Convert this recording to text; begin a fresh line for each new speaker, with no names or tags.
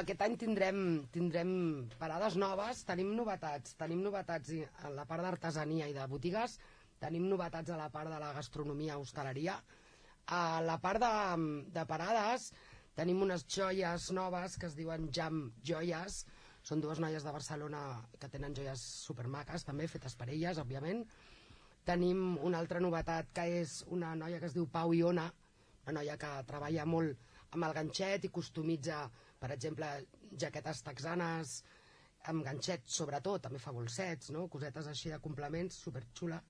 Aquest any tindrem parades noves, tenim novetats a la part d'artesania i de botigues, tenim novetats a la part de la gastronomia, hostaleria. A la part de parades tenim unes joies noves que es diuen Jam Joies, són dues noies de Barcelona que tenen joies supermaques, també fetes per elles, òbviament. Tenim una altra novetat que és una noia que es diu Pau Iona, una noia que treballa molt amb el ganxet i customitza, per exemple, jaquetes texanes amb ganxet, sobretot, també fa bolsets, no? Cosetes així de complements, superxula.